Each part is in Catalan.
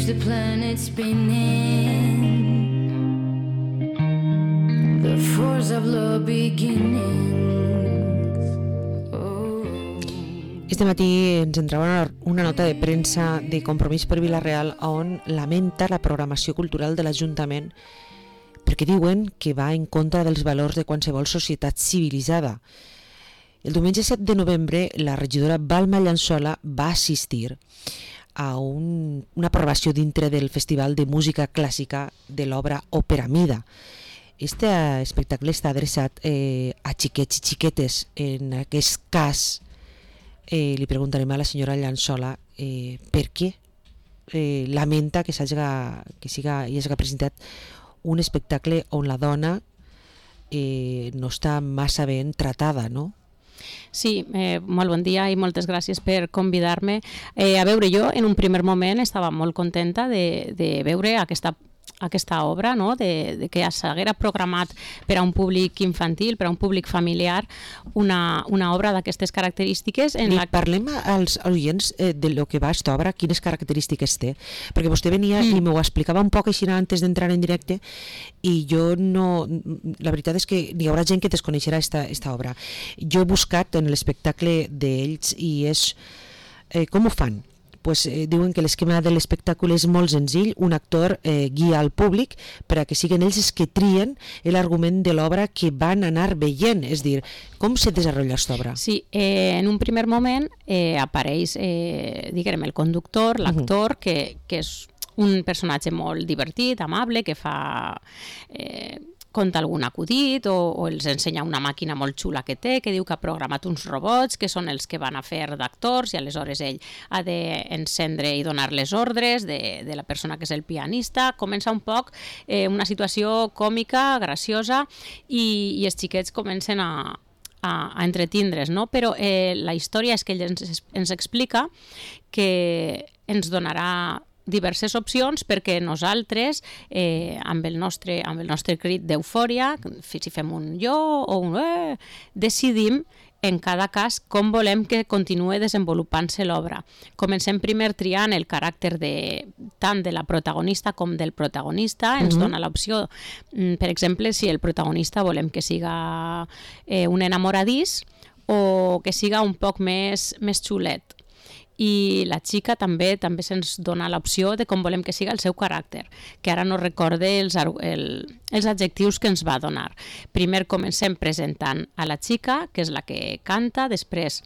the planet spinning, the force of love beginnings. Oh. Este matí ens entrava una nota de premsa de Compromís per Vila-real on lamenta la programació cultural de l'Ajuntament perquè diuen que va en contra dels valors de qualsevol societat civilitzada. El diumenge 7 de novembre la regidora Balma Llençola va assistir a una aprovació dintre del Festival de Música Clàssica de l'obra Òpera Mida. Este espectacle està adreçat a xiquets i xiquetes. En aquest cas li preguntarem a la senyora Llençola per què lamenta que s'hagi presentat un espectacle on la dona no està massa ben tratada, no? Sí, molt bon dia i moltes gràcies per convidar-me. A veure, jo en un primer moment estava molt contenta de veure aquesta obra, no? de que s'haguera programat per a un públic infantil, per a un públic familiar, una obra d'aquestes característiques. Parlem als oients de lo que va aquesta obra, quines característiques té, perquè vostè venia i m'ho explicava un poc així antes d'entrar en directe i jo no... La veritat és que hi haurà gent que desconeixerà esta obra. Jo he buscat en l'espectacle d'ells i és... com ho fan? Diuen que l'esquema de l'espectacle és molt senzill, un actor guia al públic per a que siguin ells els que trien l'argument de l'obra que van anar veient, és dir, com se desenvolupa aquesta obra? Sí, en un primer moment apareix, diguem, el conductor, l'actor, que és un personatge molt divertit, amable, que conta algun acudit o els ensenya una màquina molt xula que té, que diu que ha programat uns robots que són els que van a fer d'actors i aleshores ell ha d'encendre i donar les ordres de la persona que és el pianista. Comença un poc una situació còmica, graciosa i els xiquets comencen a entretindre's, no? Però la història és que ell ens explica que ens donarà diverses opcions perquè nosaltres, amb el nostre crit d'eufòria, si fem un jo o un decidim en cada cas com volem que continuï desenvolupant-se l'obra. Comencem primer triant el caràcter tant de la protagonista com del protagonista. Ens dona l'opció, per exemple, si el protagonista volem que siga un enamoradís o que siga un poc més xulet. I la xica també se'ns dona l'opció de com volem que siga el seu caràcter, que ara no recorde els adjectius que ens va donar. Primer comencem presentant a la xica, que és la que canta, després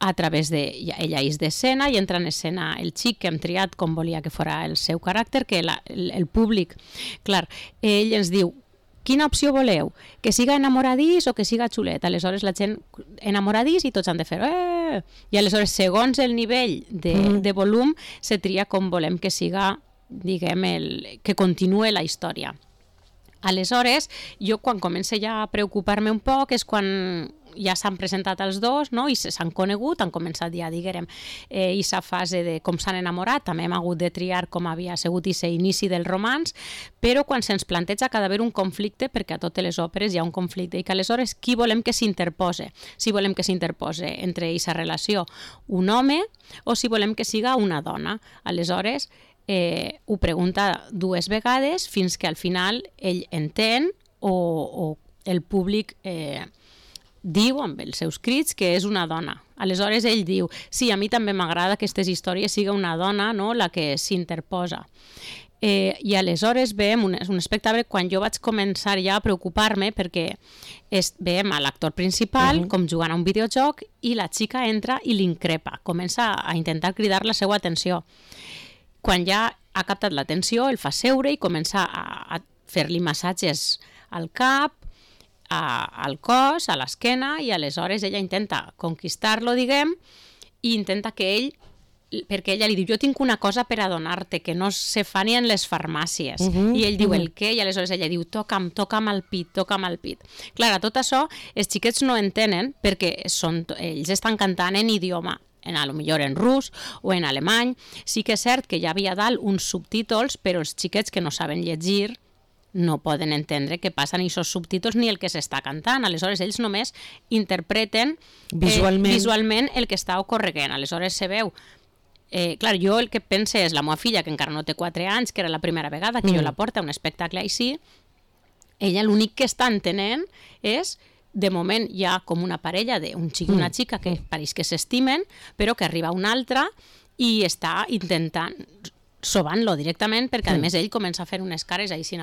a través ella és d'escena i entra en escena el xic que hem triat com volia que fora el seu caràcter, que el públic, clar, ell ens diu quina opció voleu? Que siga enamoradís o que siga xulet? Aleshores la gent enamoradís i tots han de fer I aleshores segons el nivell de volum se tria com volem que siga, diguem, que continuï la història. Aleshores, jo quan començo ja a preocupar-me un poc és quan ja s'han presentat els dos, no? I s'han conegut, han començat ja, diguem, aquesta fase de com s'han enamorat, també hem hagut de triar com havia sigut aquest inici del romanç, però quan se'ns planteja que ha d'haver un conflicte, perquè a totes les òperes hi ha un conflicte, i que aleshores qui volem que s'interpose? Si volem que s'interpose entre aquesta relació un home o si volem que siga una dona. Aleshores, ho pregunta dues vegades fins que al final ell entén o el públic diu amb els seus crits que és una dona. Aleshores ell diu, sí, a mi també m'agrada que aquestes històries siga una dona, no?, la que s'interposa. I aleshores veiem un espectacle quan jo vaig començar ja a preocupar-me perquè veiem a l'actor principal com jugant a un videojoc i la xica entra i l'increpa, comença a intentar cridar la seva atenció. Quan ja ha captat l'atenció, el fa seure i comença a fer-li massatges al cap, al cos, a l'esquena, i aleshores ella intenta conquistar-lo, diguem, i intenta que ell, perquè ella li diu, jo tinc una cosa per a donar-te que no se fa ni en les farmàcies, i ell diu, el què? I aleshores ella diu, toca'm el pit. Clar, tot això els xiquets no entenen perquè ells estan cantant en idioma, a lo millor en rus o en alemany. Sí que és cert que hi havia dalt uns subtítols, però els xiquets que no saben llegir no poden entendre què passen aquests subtítols ni el que s'està cantant. Aleshores, ells només interpreten visualment el que està ocorrent. Aleshores, se veu clar, jo el que pense és la meva filla, que encara no té 4 anys, que era la primera vegada que jo la porto a un espectacle així, ella l'únic que està entenent és, de moment hi ha com una parella d'un xic i una xica que pareix que s'estimen, però que arriba una altra i està intentant sobant-lo directament, perquè a més ell comença a fer unes cares així,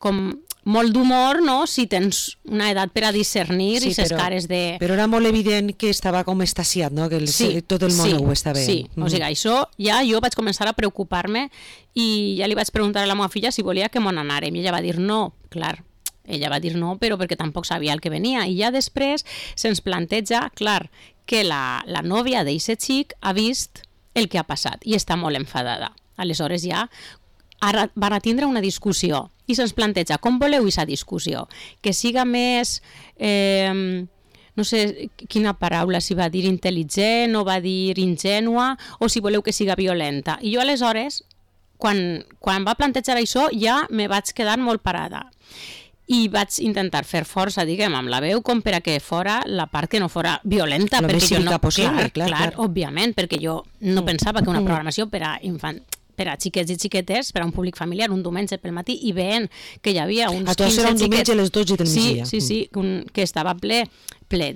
com molt d'humor, no?, si tens una edat per a discernir i ses cares de... Però era molt evident que estava com estasiat, no?, que tot el món ho està veient. Sí, o sigui, això ja jo vaig començar a preocupar-me i ja li vaig preguntar a la meva filla si volia que m'on anàrem i ella va dir no, clar. Ella va dir no, però perquè tampoc sabia el que venia. I ja després se'ns planteja, clar, que la nòvia d'eixe xic ha vist el que ha passat i està molt enfadada. Aleshores ja ara van a tindre una discussió i se'ns planteja com voleu aquesta discussió, que siga més, no sé quina paraula, si va dir intel·ligent o va dir ingènua o si voleu que siga violenta. I jo aleshores, quan va plantejar això, ja me vaig quedar molt parada. I vaig intentar fer força, diguem, amb la veu com per a que fora la part que no fora violenta. Lo més cívica possible, clar, òbviament, perquè jo no pensava que una programació per a xiquets i xiquetes, per a un públic familiar, un diumenge pel matí, i veient que hi havia uns 15 xiquets... A tu era un diumenge a les 12 del migdia. Sí, que estava ple,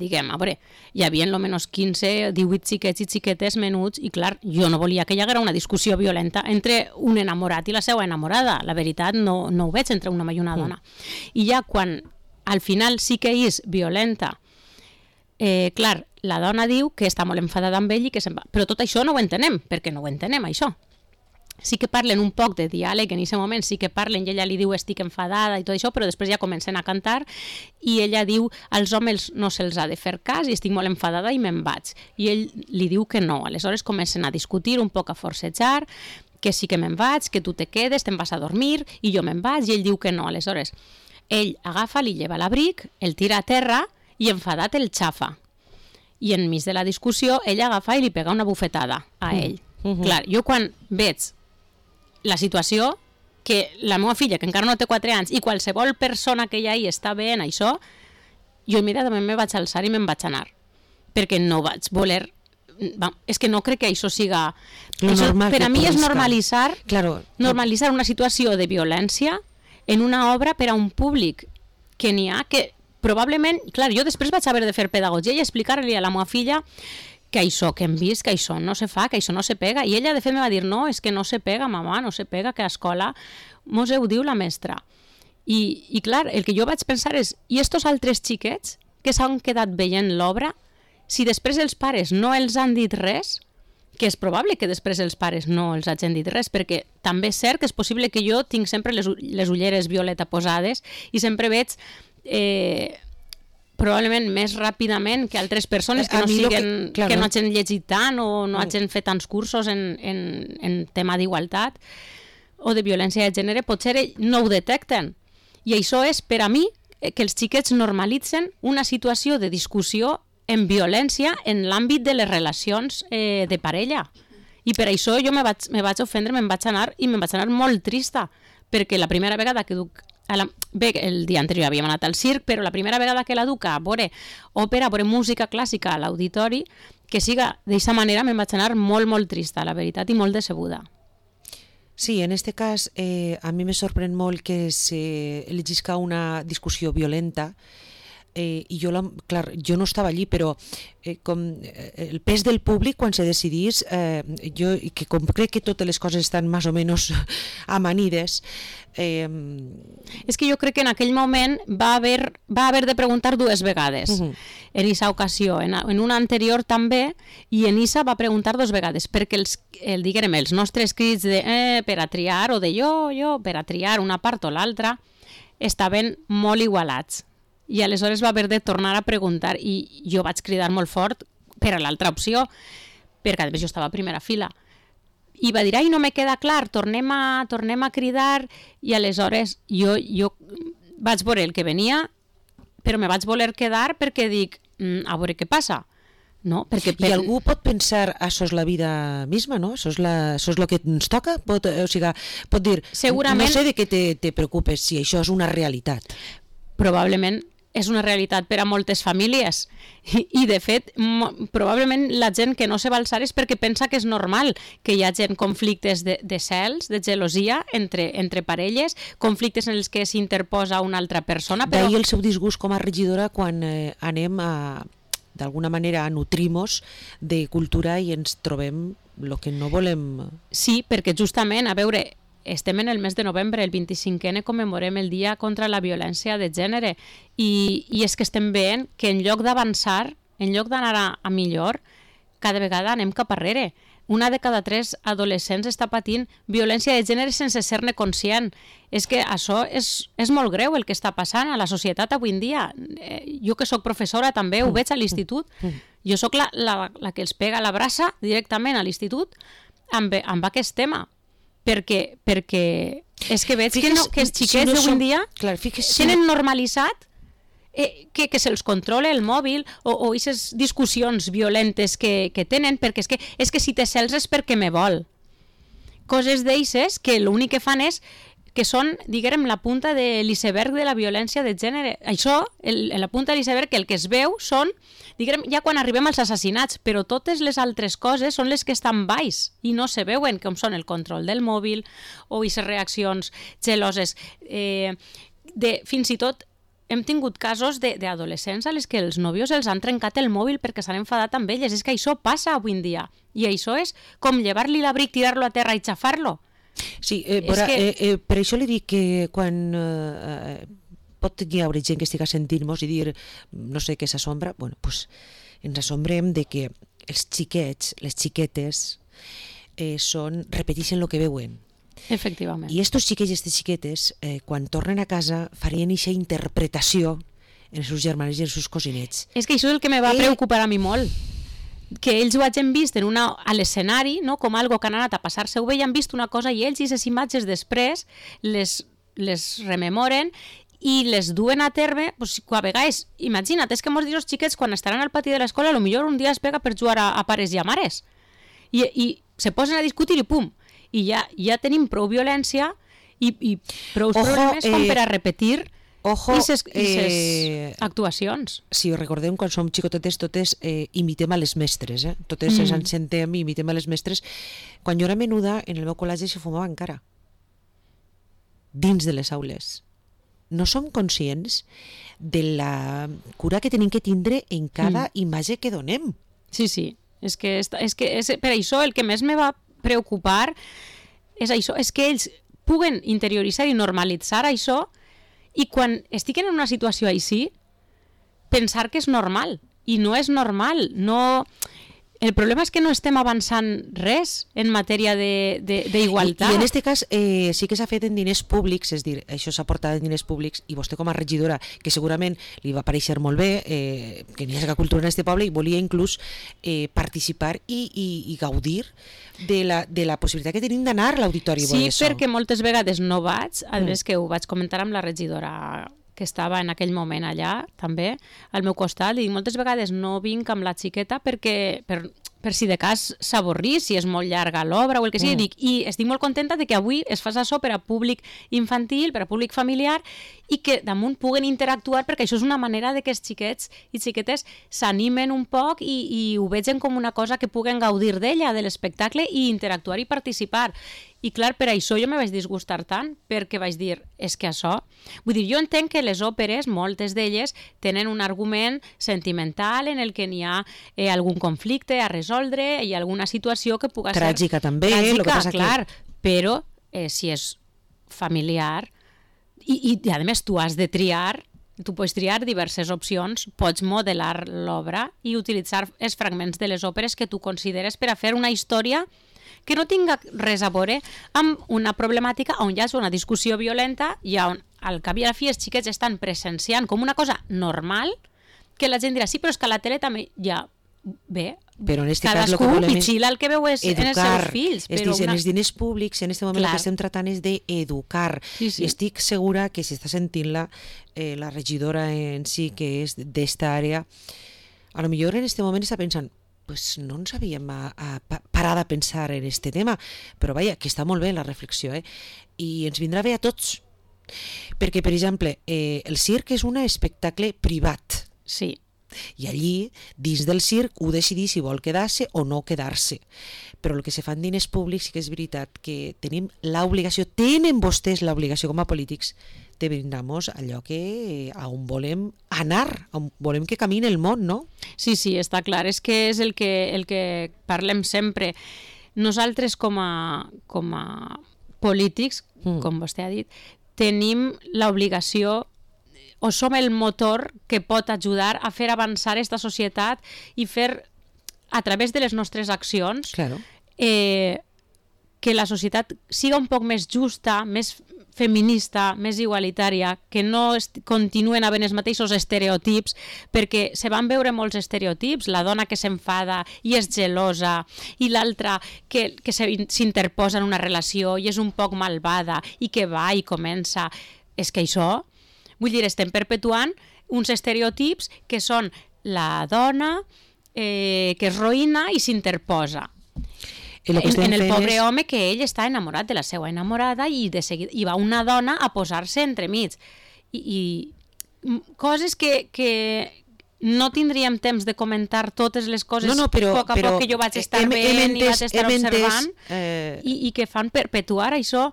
diguem, a veure, hi havia almenys 15, 18 xiquets i xiquetes menuts, i clar, jo no volia que hi haguera una discussió violenta entre un enamorat i la seva enamorada. La veritat, no ho veig entre un home i una dona. I ja quan al final sí que és violenta, clar, la dona diu que està molt enfadada amb ell i que se'n va. Però tot això no ho entenem, perquè no ho entenem, això. Sí que parlen un poc de diàleg, en aquest moment sí que parlen i ella li diu estic enfadada i tot això, però després ja comencen a cantar i ella diu als homes no se'ls ha de fer cas i estic molt enfadada i me'n vaig. I ell li diu que no. Aleshores comencen a discutir, un poc a forcejar, que sí que me'n vaig, que tu te quedes, te'n vas a dormir i jo me'n vaig i ell diu que no. Aleshores ell agafa, li lleva l'abric, el tira a terra i enfadat el xafa. I enmig de la discussió ell agafa i li pega una bufetada a ell. Clar, jo quan veig la situació, que la meva filla, que encara no té 4 anys, i qualsevol persona que hi ha està veient això, jo immediatament me vaig alçar i me'n vaig anar. Perquè no vaig voler... És que no crec que això siga... Per a mi és normalitzar una situació de violència en una obra per a un públic que n'hi ha que probablement... Clar, jo després vaig haver de fer pedagogia i explicar-li a la meva filla que això que hem vist, que això no se fa, que això no se pega. I ella, de fet, me va dir, no, és que no se pega, mamà, no se pega, que a escola mos ho diu la mestra. I clar, el que jo vaig pensar és, i estos altres xiquets que s'han quedat veient l'obra, si després els pares no els han dit res, que és probable que després els pares no els hagin dit res, perquè també és cert que és possible que jo tinc sempre les ulleres violeta posades i sempre veig... probablement més ràpidament que altres persones que no hagin llegit tant o no hagin fet tants cursos en tema d'igualtat o de violència de gènere, potser no ho detecten. I això és, per a mi, que els xiquets normalitzen una situació de discussió en violència en l'àmbit de les relacions de parella. I per això jo me vaig ofendre, me'n vaig anar molt trista, perquè la primera vegada que duc... Bé, el dia anterior havíem anat al circ, però la primera vegada que la duc a veure òpera, a veure música clàssica a l'auditori, que siga d'aquesta manera, me'n vaig anar molt, molt trista, la veritat, i molt decebuda. Sí, en este cas a mi me sorprèn molt que s'elegisca una discussió violenta i jo no estava allí, però com el pes del públic quan se decidís, jo que com crec que totes les coses estan més o menys amanides, és que jo crec que en aquell moment va haver de preguntar 2 vegades en aquesta ocasió, en una anterior també, i en Isa va preguntar 2 vegades, perquè els nostres crits de per a triar, o de jo, per a triar una part o l'altra, estaven molt igualats. I aleshores va haver de tornar a preguntar i jo vaig cridar molt fort per a l'altra opció, perquè a més jo estava a primera fila. I va dir, ai, no me queda clar, tornem a cridar, i aleshores jo vaig veure el que venia, però me vaig voler quedar perquè dic, a veure què passa. No? I algú pot pensar, això és la vida misma, no? Això és el que ens toca? Pot dir, segurament... no sé de què te preocupes, si això és una realitat. Probablement és una realitat per a moltes famílies i de fet probablement la gent que no se va alçar és perquè pensa que és normal que hi hagi conflictes de cels, de gelosia entre parelles, conflictes en els que s'interposa una altra persona. Però... D'ahir el seu disgust com a regidora quan anem d'alguna manera a nutrir-nos de cultura i ens trobem el que no volem. Sí, perquè justament, a veure, estem en el mes de novembre, el 25è commemorem el Dia contra la Violència de Gènere i és que estem veient que en lloc d'avançar, en lloc d'anar a millor, cada vegada anem cap arrere. Una de cada 3 adolescents està patint violència de gènere sense ser-ne conscient. És que això és molt greu el que està passant a la societat avui en dia. Jo que sóc professora també ho veig a l'institut. Jo sóc la que els pega la braça directament a l'institut amb aquest tema. Perquè és que veig que els xiquets d'avui en dia tenen normalitzat que se'ls controla el mòbil o aquestes discussions violentes que tenen, perquè és que si te cels és perquè me vol. Coses d'eixes que l'únic que fan és que són, diguem, la punta de l'iceberg de la violència de gènere. Això, la punta de l'iceberg, el que es veu són, diguem, ja quan arribem als assassinats, però totes les altres coses són les que estan baix i no se veuen, com són el control del mòbil o aquestes reaccions geloses. Fins i tot hem tingut casos d'adolescents a les que els nòvios els han trencat el mòbil perquè s'han enfadat amb elles. És que això passa avui en dia. I això és com llevar-li l'abric, tirar-lo a terra i xafar-lo. Sí, per això li dic que quan pot hi haure gent que estigui sentint-nos i dir, no sé què s'assombra, bueno, pues ens assombrem de que els xiquets, les xiquetes, repeteixen el que veuen. Efectivament. I estos xiquets i aquestes xiquetes, quan tornen a casa, farien aquesta interpretació en els seus germans i en els seus cosinets. És que això és el que me va preocupar a mi molt. Que ells ho hagin vist a l'escenari, no? Com algo que han anat a passar-se-ho bé i han vist una cosa i ells i les imatges després les rememoren i les duen a terme, pues, a vegades, imagina't, és que molts dels xiquets quan estaran al pati de l'escola potser un dia es pega per jugar a pares i a mares i se posen a discutir i pum, i ja tenim prou violència i prou problemes com per a repetir aquestes actuacions. Si recordem, quan som xicotetes totes imitem a les mestres, totes ens ensentem i imitem a les mestres. Quan jo era menuda, en el meu col·legi se fumava encara dins de les aules. No som conscients de la cura que tenim que tindre en cada imatge que donem. Sí, sí, és que per això el que més me va preocupar és això, és que ells puguen interioritzar i normalitzar això i quan estiguen en una situació així, pensar que és normal. I no és normal. No... El problema és que no estem avançant res en matèria d'igualtat. I en aquest cas sí que s'ha fet en diners públics, és a dir, això s'ha portat en diners públics i vostè com a regidora, que segurament li va pareixer molt bé que n'hi hagi cultura en aquest poble i volia inclús participar i gaudir de la possibilitat que tenim d'anar a l'auditori. Sí, perquè moltes vegades no vaig, a més que ho vaig comentar amb la regidora que estava en aquell moment allà, també, al meu costat, i moltes vegades no vinc amb la xiqueta perquè per si de cas s'avorrís, si és molt llarga l'obra o el que sigui, i estic molt contenta de que avui es fas això per a públic infantil, per a públic familiar, i que damunt puguen interactuar, perquè això és una manera de que els xiquets i xiquetes s'animen un poc i ho vegen com una cosa que puguen gaudir d'ella, de l'espectacle, i interactuar i participar. I clar, per això jo me vaig disgustar tant, perquè vaig dir, és que això... Vull dir, jo entenc que les òperes, moltes d'elles, tenen un argument sentimental en el que n'hi ha algun conflicte a resoldre i alguna situació que puga ser... Tràgica també, el que passa clar, però si és familiar i a més tu has de triar, tu pots triar diverses opcions, pots modelar l'obra i utilitzar els fragments de les òperes que tu consideres per a fer una història que no tinga res a veure amb una problemàtica on hi ha una discussió violenta i on al cap i a la fi els xiquets estan presenciant com una cosa normal que la gent dirà, sí, però és que a la tele també ja bé, però en este cadascú cas, lo que pitxila el que veu és educar, en els seus fills. Però en els diners públics, en aquest moment el que estem tratant és d'educar. Sí. I estic segura que si està sentint-la la regidora en si, que és d'esta àrea, a lo millor en aquest moment està pensant pues no ens havíem parat a pensar en este tema, però vaja, que està molt bé la reflexió, i ens vindrà bé a tots Perquè, per exemple, el circ és un espectacle privat. Sí. I allí, dins del circ, ho decidir si vol quedar-se o no quedar-se. Però el que se fa en diners públics sí que és veritat que tenim l'obligació, tenen vostès l'obligació com a polítics de brindar-nos allò que on volem anar, on volem que camini el món, no? Sí, està clar, és que és el que parlem sempre. Nosaltres com a polítics, com vostè ha dit, tenim l'obligació o som el motor que pot ajudar a fer avançar aquesta societat i fer, a través de les nostres accions, Claro. Que la societat siga un poc més justa, més feminista, més igualitària, que no continuen havent els mateixos estereotips, perquè se van veure molts estereotips, la dona que s'enfada i és gelosa, i l'altra que s'interposa en una relació i és un poc malvada i que va i comença. És que això... Vull dir, estem perpetuant uns estereotips que són la dona que es roïna i s'interposa. En el pobre home que ell està enamorat de la seva enamorada i de seguida hi va una dona a posar-se entremig. I coses que no tindríem temps de comentar totes les coses però, a poc a poc que jo vaig estar veient i vaig estar observant i que fan perpetuar això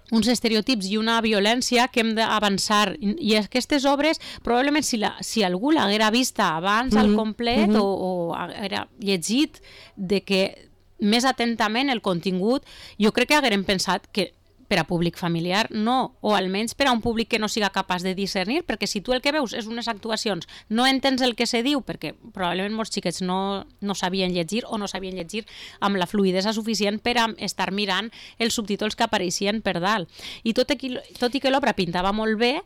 uns estereotips i una violència que hem d'avançar. I aquestes obres, probablement si algú l'haguera vista abans al complet o haguera llegit de que més atentament el contingut, jo crec que haguérem pensat que per a públic familiar no, o almenys per a un públic que no siga capaç de discernir, perquè si tu el que veus és unes actuacions, no entens el que se diu, perquè probablement molts xiquets no sabien llegir o no sabien llegir amb la fluïdesa suficient per a estar mirant els subtítols que apareixien per dalt. I tot i que l'obra pintava molt bé,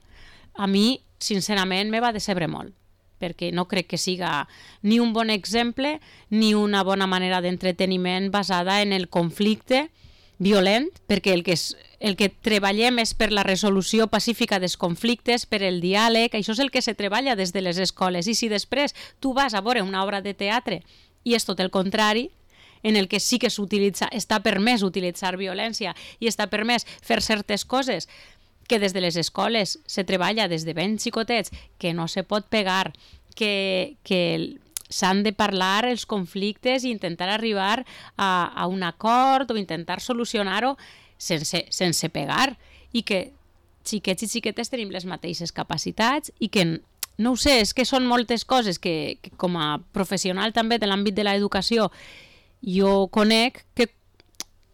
a mi, sincerament, me va decebre molt, perquè no crec que siga ni un bon exemple ni una bona manera d'entreteniment basada en el conflicte violent, perquè el que treballem és per la resolució pacífica dels conflictes, per el diàleg, això és el que se treballa des de les escoles. I si després tu vas a veure una obra de teatre i és tot el contrari, en el que sí que s'utilitza, està permès utilitzar violència i està permès fer certes coses que des de les escoles se treballa des de ben xicotets, que no se pot pegar, que s'han de parlar els conflictes i intentar arribar a un acord o intentar solucionar-ho sense pegar, i que xiquets i xiquetes tenim les mateixes capacitats i que, no ho sé, és que són moltes coses que com a professional també de l'àmbit de l'educació jo conec que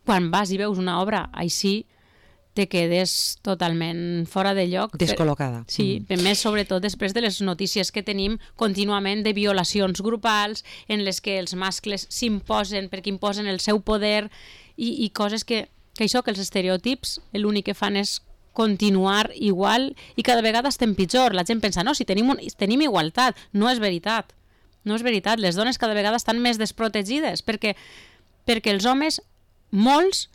quan vas i veus una obra així te quedes totalment fora de lloc. Descol·locada. Sí, més sobretot després de les notícies que tenim contínuament de violacions grupals en les que els mascles s'imposen perquè imposen el seu poder i coses que això, que els estereotips l'únic que fan és continuar igual i cada vegada estem pitjor. La gent pensa, no, si tenim igualtat. No és veritat. No és veritat. Les dones cada vegada estan més desprotegides perquè els homes, molts,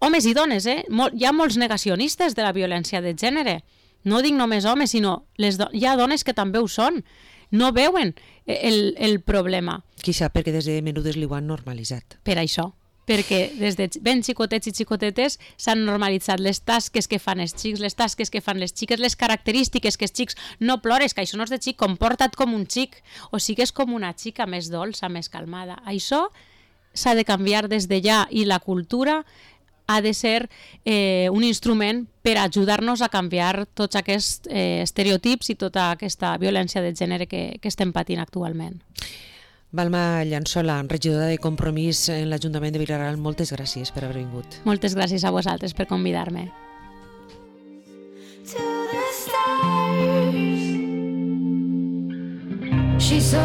homes i dones, hi ha molts negacionistes de la violència de gènere. No dic només homes, sinó hi ha dones que també ho són. No veuen el problema. Quizà perquè des de menudes li ho han normalitzat. Per això. Perquè des de ben xicotets i xicotetes s'han normalitzat les tasques que fan els xics, les tasques que fan les xiques, les característiques que els xics no plores, que això no és de xic, comporta't com un xic, o sigues com una xica més dolça, més calmada. Això s'ha de canviar des de ja i la cultura ha de ser un instrument per ajudar-nos a canviar tots aquests estereotips i tota aquesta violència de gènere que estem patint actualment. Balma Llançola, regidora de Compromís en l'Ajuntament de Vila-real, moltes gràcies per haver vingut. Moltes gràcies a vosaltres per convidar-me. She's so